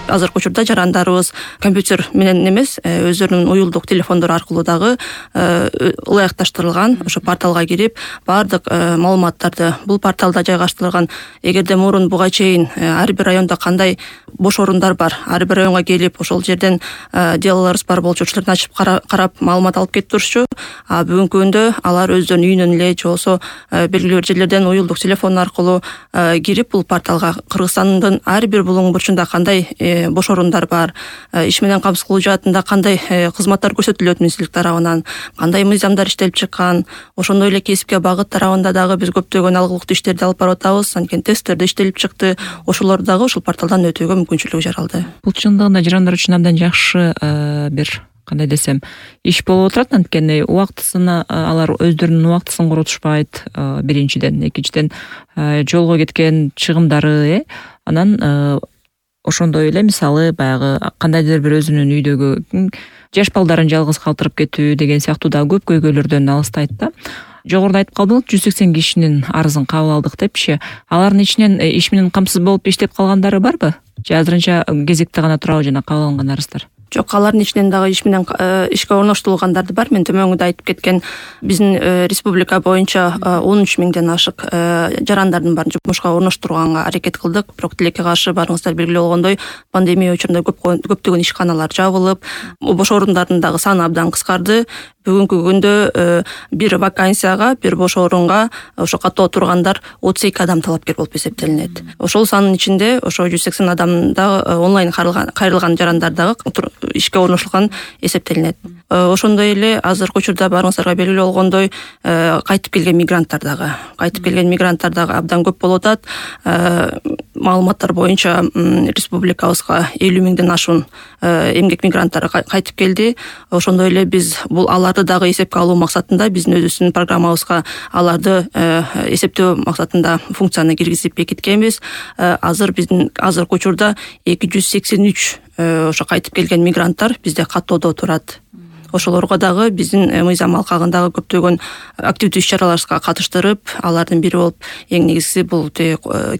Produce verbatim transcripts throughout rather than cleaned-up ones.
азыркы учурда жарандарыбыз компьютер менен эмес, өздөрүнүн уюлдук телефондору аркылуу дагы ылайыкташтырылган ошо порталга кирип баардык маалыматтарды бул порталда жайгаштырылган. Эгерде мурун буга чейин ар бир районда кандай бош орундар бар, ар бир районго келип ошол жерден делолорубуз бар болчу, ошолорду ачып карап маалымат алып кетип турчу. А бүгүнкү күндө алар өздөрүнүн үйүнөн эле же болбосо белгилүү бир жерлерден уюлдук телефон аркылуу кирип бул порталга Кыргызстандын ар бир булуң бурчунда кандай бош орундар бар, иш менен камсыз кылуу жаатында кандай кызматтар көрсөтүлөт министрлик тарабынан, кандай мыйзамдар иштелип чыккан, ошондой эле кесипке багыт тарабында дагы биз көптөгөн алгылыктуу иштерди алып барып атабыз. Анткени тесттер да иштелип чыкты. Ошолорду дагы ушул порталдан өтүүгө мүмкүнчүлүгү жаралды. Бул чындыгында жарандар үчүн абдан жакшы бир кандай десем иш болуп отурат. Анткени убактысына алар өздөрүнүн убактысын коротушпайт, биринчиден, экинчиден жолго кеткен чыгымдары, анан ошондой эле мисалы баягы кандайдыр бир өзүнүн үйдөгү жаш балдарын жалгыз калтырып кетүү деген сыяктуу да көп көйгөйлөрдөн алыстайт да. Жогоруда айтып калдыңыз, жүз сексен кишинин арызын кабыл алдык депчи. Алардын ичинен иш менен камсыз болуп иштеп калгандары барбы? Же азырынча кезекте гана турабы жана кабыл алынган арыздар? Жок, алардын ичинен дагы иш менен ишке орноштурулгандарды бар. Мен төмөңүдө айтып кеткен биздин республика боюнча он үч миңден ашык жарандардын баарын жумушка орноштурганга аракет кылдык. Бирок тилекке каршы барыңыздар белгилүү болгондой, пандемия учурунда көптөгөн ишканалар жабылып, бош орундардын дагы саны абдан кыскарды. Бүгүнкү күндө бир вакансияга, бир бош орунга ошо каттоо тургандар отуз эки адам талапкер болуп эсептелинет. Ошол санын ичинде ошо жүз сексен адамда онлайн кайрылган жарандар дагы ишке орнотулган эсептелинет. Ошондой эле азыркы учурда барыңыздарга белгилүү болгондой, кайтып келген мигранттар дагы, кайтып келген мигранттар дагы абдан көп болуп атат. Маалыматтар боюнча республикабызга элүү миңден ашуун эмгек мигранттары кайтып келди. Ошондой эле биз бул аларды дагы эсепке алуу максатында биздин өзүбүздүн программабызга аларды эсептөө максатында функцияны киргизип бекиткенбиз. Азыр биздин азыркы учурда эки жүз сексен үч ошо кайтып келген мигранттар бизде каттоодо турат. Ошолорго дагы биздин мыйзам алкагындагы көптөгөн активдүү иш-чараларга катыштырып, алардын бири болуп эң негизгиси бул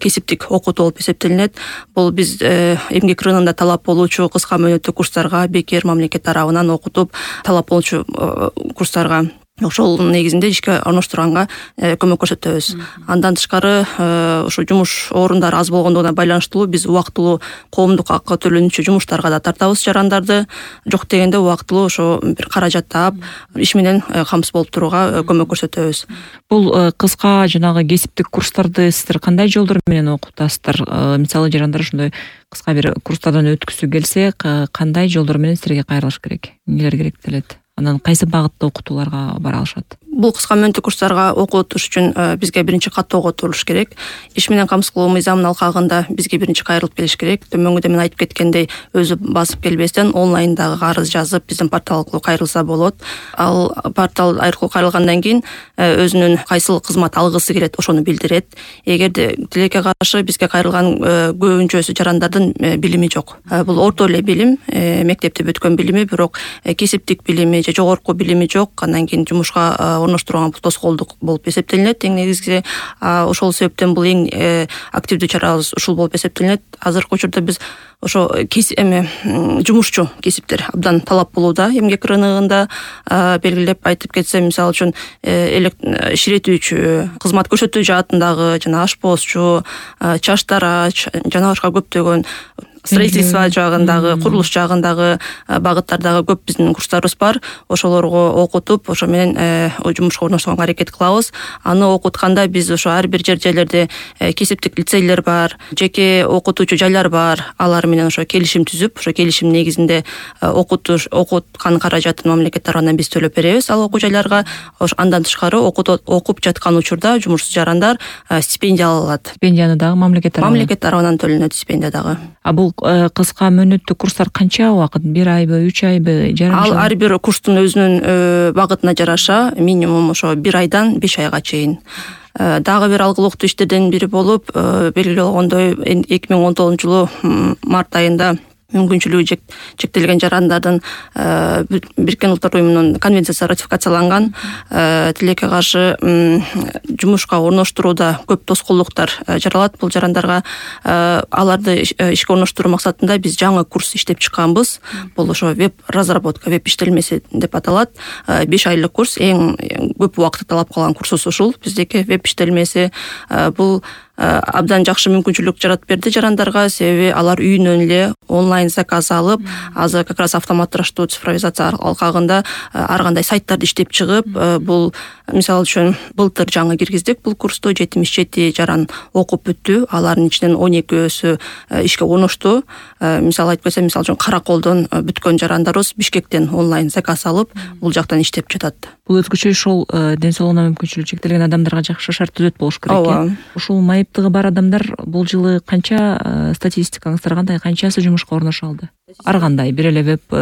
кесиптик окутуу болуп эсептелинет. Бул биз эмгек рыногунда талап болуучу кыска мөөнөттүү курстарга бекер мамлекет тарабынан окутуп талап болуучу курстарга ошол негизинде ишке орноштурганга көмөк көрсөтөбүз. Андан тышкары ошо жумуш орундары аз болгондугуна байланыштуу биз убактылуу коомдук акы төлөнүүчү жумуштарга да тартабыз жарандарды. Жок дегенде убактылуу ошо бир каражат таап, иш менен камсыз болуп турууга көмөк көрсөтөбүз. Бул кыска жанагы кесиптик курстарды сиздер кандай жолдор менен окутасыздар? Мисалы жарандар ошондой кыска бир курстардан өткүсү келсе, кандай жолдор менен силерге кайрылыш керек? Эмнелер керектелет? Анан кайсы багытта окутууларга бара алышат? Бул кыска мөөнөттүү курстарга окутуш үчүн бизге биринчи каттоого турулуш керек. Иш менен камсыз кылуу мыйзамынын алкагында бизге биринчи кайрылып келиш керек. Төмөңүдө мен айтып кеткендей, өзү басып келбестен онлайндагы арыз жазып биздин портал аркылуу кайрылса болот. Ал портал аркылуу кайрылгандан кийин өзүнүн кайсыл кызмат алгысы келет, ошону билдирет. Эгерде тилекке каршы бизге кайрылган көбүнчөсү жарандардын билими жок. Бул орто эле билим, мектепти бүткөн билими, бирок кесиптик билими же жогорку билими жок. Андан кийин жумушка орноштурган бул тоскоолдук болуп эсептелинет. Эң негизги ошол себептен бул эң активдүү чарабыз ушул болуп эсептелинет. Азыркы учурда биз ошо эме жумушчу кесиптер абдан талап болууда. Эмгек рыногунда белгилеп айтып кетсем, мисалы үчүн иширетүүчү, кызмат көрсөтүү жаатындагы жана ашпозчу, чаштарач жана башка көптөгөн строительство жагындагы, курулуш жагындагы багыттардагы көп биздин курстарыбыз бар. Ошолорго окутуп, ошо менен жумушка орноштурганга аракет кылабыз. Аны окутканда биз ошо ар бир жер жерлерде кесиптик лицейлер бар, жеке окутуучу жайлар бар. Алар менен ошо келишим түзүп, ошо келишим негизинде окутуш, окуткан каражатын мамлекет тарабынан биз төлөп беребиз ал окуу жайларга. Андан тышкары окуп жаткан учурда жумушсуз жарандар стипендия ала алат. Стипендияны дагы мамлекет тарабынан. Мамлекет тарабынан төлөнөт стипендия дагы. А бул кыска мөөнөттүү курстар канча убакыт? Бир айбы, үч айбы, жарым жыл? Ал ар бир курстун өзүнүн багытына жараша минимум ошо бир айдан беш айга чейин. Дагы бир алгылыктуу иштерден бири болуп, белгилүү болгондой эки миң он тогузунчу жылы март айында мүмкүнчүлүгү чектелген жарандардын Бириккен Улуттар Уюмунун конвенциясы ратификацияланган. Тилекке каршы жумушка орноштурууда көп тоскоолдуктар жаралат бул жарандарга. Аларды ишке орноштуруу максатында биз жаңы курс иштеп чыкканбыз. Бул ошо веб разработка, веб иштелмеси деп аталат. беш айлык курс, эң көп убакытты талап кылган курсубуз ушул. Биздеки веб иштелмеси бул абдан жакшы мүмкүнчүлүк жаратып берди жарандарга, себеби алар үйүнөн эле онлайн заказ алып, азыр как раз автоматташтыруу, цифровизация алкагында ар кандай сайттарды иштеп чыгып, бул мисалы үчүн былтыр жаңы киргиздик бул курсту, жетимиш жети жаран окуп бүттү. Алардын ичинен он экөөсү ишке орношту. Мисалы айтып кетсем, мисалы үчүн Караколдон бүткөн жарандарыбыз Бишкектен онлайн заказ алып, бул жактан иштеп жатат. Бул өзгөчө ошол ден соолугуна мүмкүнчүлүгү чектелген адамдарга жакшы шарт түзөт болуш керек экен. Ушул майыптыгы бар адамдар бул жылы канча, статистикаңыздар кандай, канчасы жумушка орношо алды? Ар кандай, бир эле веб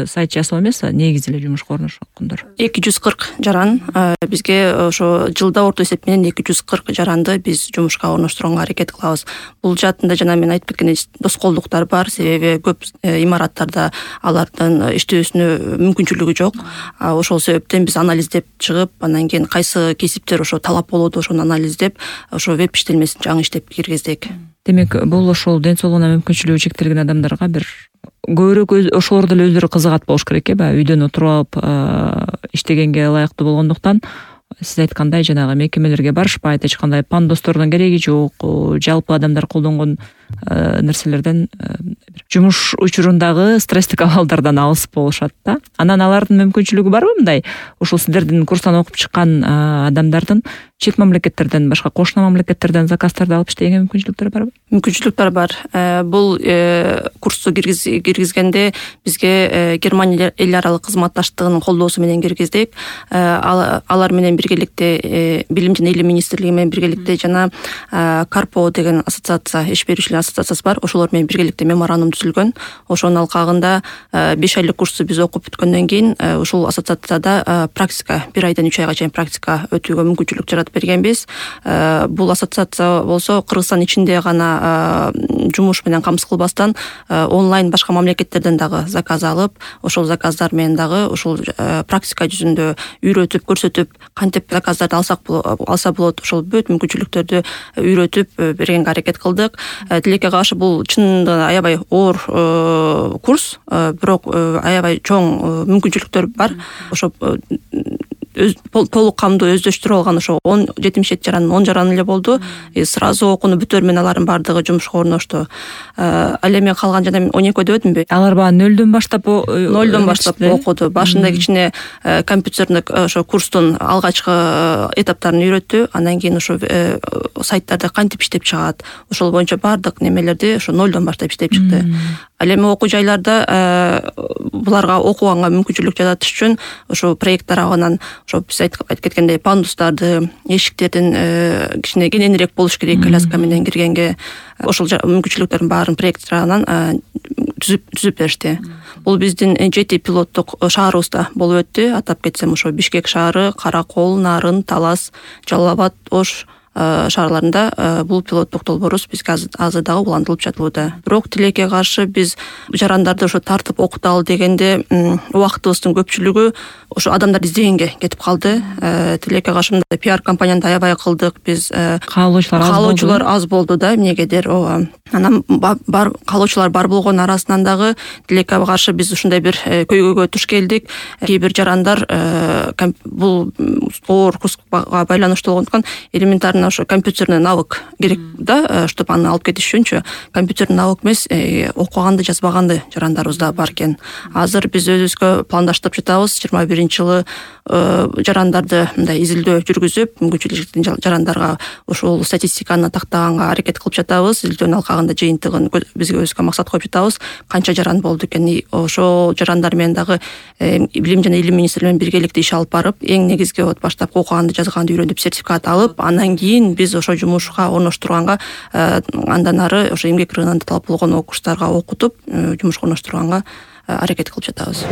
сайт жасоо эмес, негизи эле жумушка орношкондор. эки жүз кырк жаран. Бизге ошо жылда орто эсеп менен эки жүз кырк жаранды биз жумушка орноштурганга аракет кылабыз. Бул жаатында жана мен айтып кеткендей тоскоолдуктар бар, себеби көп имараттарда алардын иштөөсүнө мүмкүнчүлүгү жок. Ошол себептен биз анализдеп чыгып, анан кийин кайсы кесиптер ошо талап болот, ошону анализдеп, ошо веб иштелмесин жаңы иштеп киргиздик. Демек, бул ошол ден соолугуна мүмкүнчүлүгү чектелген адамдарга бир көбүрөөк ошолор деле өздөрү кызыгат болуш керек, эби, үйдөн отуруп алып иштегенге ылайыктуу болгондуктан сиз айткандай жанагы мекемелерге барышпайт, эч кандай пандостордун кереги жок, жалпы адамдар колдонгон нерселерден, жумуш учурундагы стресстик абалдардан алыс болушат да. Анан алардын мүмкүнчүлүгү барбы мындай? Ушул сиздердин курстан окуп чыккан адамдардын чет мамлекеттерден, башка кошуна мамлекеттерден заказдарды алып иштегенге мүмкүнчүлүктөр барбы? Мүмкүнчүлүктөр бар. Бул курсту киргизгенде бизге Германия эл аралык кызматташтыгынын колдоосу менен киргиздик. Алар менен биргеликте Билим жана Илим министрлиги менен биргеликте жана Карпо деген ассоциация, иш берүүчүлөр ассоциациясы бар. Ошолор менен биргеликте меморандум түзүлгөн. Ошонун алкагында беш айлык курсту биз окуп бүткөндөн кийин ушул ассоциацияда практика, бир айдан үч айга чейин практика өтүүгө мүмкүнчүлүк жаратып бергенбиз. Бул ассоциация болсо Кыргызстан ичинде гана жумуш менен камсыз кылбастан онлайн башка мамлекеттерден дагы заказ алып, ошол заказдар менен дагы ушул практика жүзүндө үйрөтүп, көрсөтүп, кантип заказдарды алсак алса болот, ошол бүт мүмкүнчүлүктөрдү үйрөтүп бергенге аракет кылдык. Тилекке каршы бул чынында аябай оор курс, бирок аябай чоң мүмкүнчүлүктөр бар. Ошо толук камдуу өздөштүрүп алган ошо жетимиш жети жарандын он жараны эле болду. Сразу окууну бүтөр менен алардын бардыгы жумушка орношту. Ал эми калган жана он экөө дебедимби? Алар баягы нөлдөн баштап нөлдөн баштап окуду. Башында кичине компьютердик ошо курстун алгачкы этаптарын үйрөттү. Андан кийин ошо сайттарды кантип иштеп чыгат, ошол боюнча бардык немелерди ошо нөлдөн баштап иштеп чыкты. Ал эми окуу жайларда буларга окуганга мүмкүнчүлүк жаратыш үчүн ошо проект тарабынан ошо биз айтып кеткендей пандустарды, эшиктердин кичине кененирээк болуш керек, коляска менен киргенге, ошол мүмкүнчүлүктөрдүн баарын проект тарабынан түзүп түзүп беришти. Бул биздин жети пилоттук шаарыбызда болуп өттү. Атап кетсем, ошо Бишкек шаары, Каракол, Нарын, Талас, Жалал абад, Ош шаарларында бул пилоттук долбоорубуз бизге азыр дагы улантылып жатууда. Бирок тилекке каршы биз жарандарды ошо тартып окуталы дегенде убактыбыздын көпчүлүгү ошо адамдарды издегенге кетип калды. Тилекке каршы мындай пиар компанияны аябай кылдык. Биз каалоочулар аз болду. Каалоочулар аз болду да, эмнегедир. Ооба. Анан бар каалоочулар бар болгон арасынан дагы тилекке каршы биз ушундай бир көйгөйгө туш келдик. Кээ бир жарандар бул оор курска байланыштуу болгондуктан элементарно ошо компьютерный навык керек да, чтобы аны алып кетиш үчүнчү. Компьютерный навык эмес, окуганды, жазбаганды жарандарыбыз да бар экен. Азыр биз өзүбүзгө пландаштырып жатабыз. жыйырма биринчи жылы жарандарды мындай изилдөө жүргүзүп, мүмкүнчүлүктүү жарандарга ошол статистиканы тактаганга аракет кылып жатабыз. Изилдөөнүн алкагында жыйынтыгын бизге өзгө максат коюп жатабыз. Канча жаран болду экен, ошол жарандар менен дагы Билим жана Илим министрлиги менен биргеликте иш алып барып, эң негизги вот баштап окуганды, жазганды үйрөнүп сертификат алып, андан кийин биз ошо жумушка орноштурганга, андан ары ошо эмгек рыногунда талап болгон курстарга окутуп, жумушка орноштурганга аракет кылып жатабыз.